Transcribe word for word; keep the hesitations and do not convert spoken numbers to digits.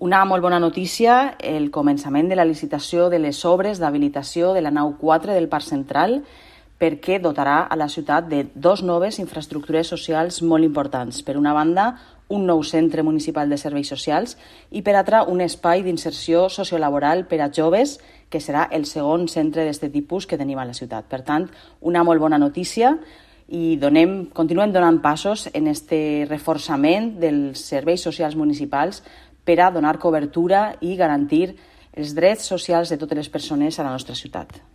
Una molt bona notícia, el començament de la licitació de les obres d'habilitació de la nau quatre del Parc Central, perquè dotarà a la ciutat de dos noves infraestructures socials molt importants. Per una banda, un nou centre municipal de serveis socials i per altra un espai d'inserció sociolaboral per a joves, que serà el segon centre d'aquest tipus que tenim a la ciutat. Per tant, una molt bona notícia i donem, continuem donant passos en aquest reforçament dels serveis socials municipals per a donar cobertura i garantir els drets socials de totes les persones a la nostra ciutat.